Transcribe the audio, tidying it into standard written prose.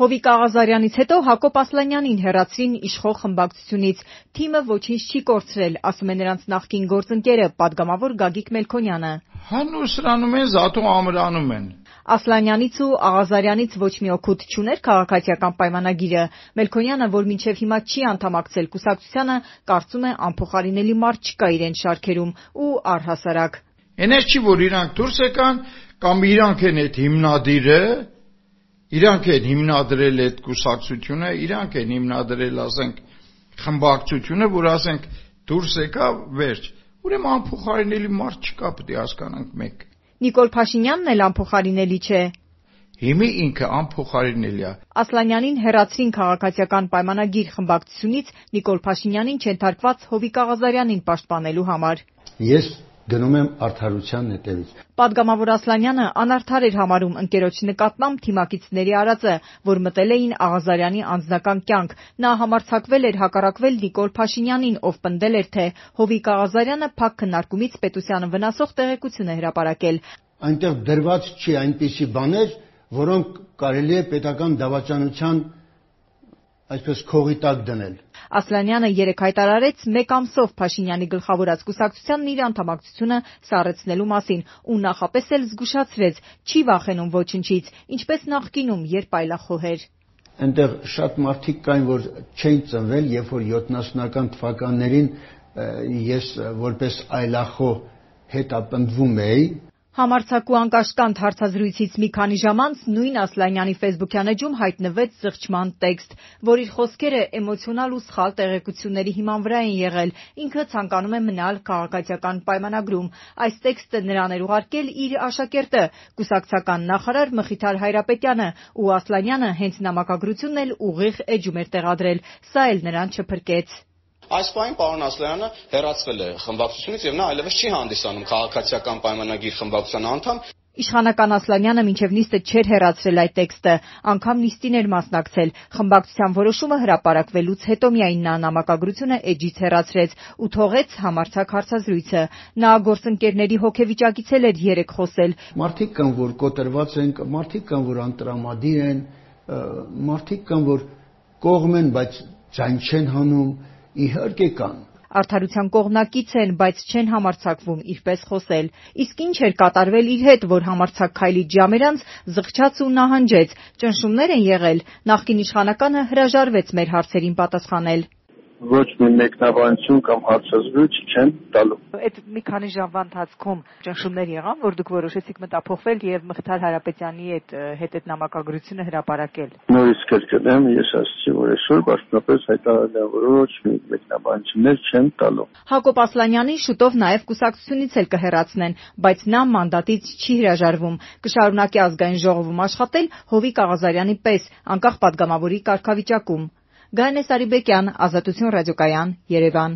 Հովիկ Աղազարյանից հետո Հակոբ Ասլանյանին հեռացրին իշխող խմբակցությունից։ Թիմը ոչինչ չի կորցրել, ասում է նրանց նախկին գործընկերը, պատգամավոր Գագիկ Մելքոնյանը։ Հանուսրանում են, զատու ամրանում են։ Ասլանյանից ու Աղազարյանից ոչ մի օգուտ չուներ քաղաքացիական պայմանագիրը։ Մելքոնյանը, որ մինչև հիմա չի անդամակցել կուսակցությանը, կարծում է անփոխարինելի մարդ չկա իրեն շարքերում ու առհասարակ։ Էնես չի, որ իրանք դուրս եկան, կամ իրանք են այդ հիմնադիրը, իրանք են հիմնադրել այդ կուսակցությունը, իրանք են հիմնադրել, ասենք, խմբակցությունը, որ ասենք դուրս եկա, վերջ։ Ուրեմն անփոխարինելի մարդ չկա, պետք է հասկանանք մեկ։ Նիկոլ Փաշինյանն էլ անփոխարինելի չէ։ Հիմի ինքը անփոխարինելի է։ Ասլանյանին հեռացրին քաղաքացիական պայմանագիր խմբակցությունից Նիկոլ Փաշինյանին չենթարկված Հովիկ Աղազարյանին պաշտպանելու համար։ Ես գնում եմ արդարության հետևից։ Պատգամավոր Ասլանյանը անարդար էր համարում ընկերոջ նկատմամբ թիմակիցների արածը, որ մտել էին Աղազարյանի անձնական կյանք։ Նա համարձակվել էր հակառակվել Նիկոլ Փաշինյանին, ով պնդել էր, թե Հովիկ Աղազարյանը փակ քննարկումից պետությանը վնասող տեղեկություն է հրապարակել։ Այնտեղ դրված չի այնպիսի բաներ, որոնք կարելի է պետական դավաճանության այսպես քողի տակ դնել։ Ասլանյանը երեկ հայտարարեց մեկ ամսով Փաշինյանի գլխավորած կուսակցությանն իր անդամակցությունը սառեցնելու մասին ու նախապես էլ զգուշացրեց՝ չի վախենում ոչնչից, ինչպես նախկինում, երբ այլախոհեր։ Այնտեղ շատ մարդիկ կային, որ չէին ծնվել, երբ որ 70-ական թվականներին ես որպես այլախոհ հետապնդվում էի։ Համարձակ ու անկաշկանդ հարցազրույցից մի քանի ժամ անց նույն Ասլանյանի ֆեյսբուքյան էջում հայտնվեց զղջման տեքստ, որ իր խոսքերը էմոցիոնալ ու սխալ տեղեկությունների հիման վրա են եղել։ Ինքը ցանկանում է մնալ քաղաքացիական պայմանագրում։ Այս տեքստը նրան էր ուղարկել իր աշակերտը, կուսակցական նախարար Մխիթար Հայրապետյանը, ու Ասլանյանը հենց նամակագրությունն էլ ուղիղ էջում էր տեղադրել։ Սա էլ նրան չփրկեց։ Այս պահին պարոն Ասլանյանը հեռացվել է խմբակցությունից եւ նա այլևս չի հանդիսանում քաղաքացիական պայմանագիր խմբակցության անդամ։ Իշխանական Ասլանյանը մինչև նիստը չէր հեռացրել այդ տեքստը, անգամ նիստին էր մասնակցել։ Խմբակցության որոշումը հրապարակվելուց հետո միայն նա նամակագրությունը էջից հեռացրեց ու թողեց համարձակ հարցազրույցը։ Նա գործընկերների հոգեվիճակից էր երեք խոսել։ Մարդիկ կան, որ կոտրված են, մարդիկ կան, որ անտրամադիր են, մարդիկ կան, որ կողմ են, բայց ձայն չեն հանում, իհարկե կան։ Արդարության կողմնակից են, բայց չեն համարձակվում իրպես խոսել։ Իսկ ինչ էր կատարվել իր հետ, որ համարձակ քայլից ժամեր անց զղջաց ու նահանջեց։ Ճնշումներ են եղել։ Նախկին իշխանականը հրաժարվեց մեր հարցերին պատասխանել։ Ոչ մի մեկնաբանություն կամ հարցազրույց չեն տալու։ Այդ մի քանի ժամվա ընթացքում ճնշումներ եղան, որ դուք որոշեցիք մտափոխվել եւ Մխիթար Հայրապետյանի հետ այդ նամակագրությունը հրապարակել։ Նորից կրկնեմ, ես ասացի, որ այսօր պաշտոնապես հայտարարել եմ, որ ոչ մի մեկնաբանություններ չեն տալու։ Հակոբ Ասլանյանին շուտով նաեւ կուսակցությունից էլ կհեռացնեն, բայց նա մանդատից չի հրաժարվում։ Կշարունակի ազգային ժողովում աշխատել Հովիկ Աղազարյանի պես, անկախ պատգամավորի կարգավիճակում։ Գայանե Սարիբեկյան, Ազատություն ռադիոկայան, Երևան։